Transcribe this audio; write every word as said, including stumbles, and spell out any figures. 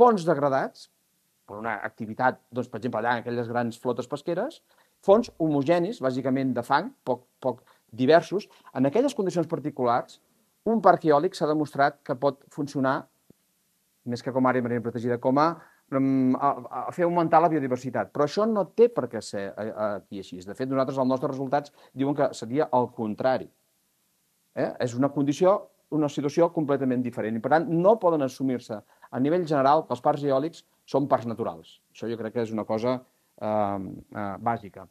fons degradats, per una activitat, doncs, per exemple, allà en aquelles grans flotes pesqueres, fons homogenis, bàsicament de fang, poc, poc diversos. En aquelles condicions particulars, un parc eòlic s'ha demostrat que pot funcionar, més que com a àrea marina protegida, com a, a, a fer augmentar la biodiversitat. Però això no té per què ser aquí així. De fet, nosaltres, els nostres resultats diuen que seria el contrari. Eh? És una condició, una situació completament diferent. I, per tant, no poden assumir-se a nivell general que els parcs eòlics són parcs naturals. Això jo crec que és una cosa eh, eh, bàsica.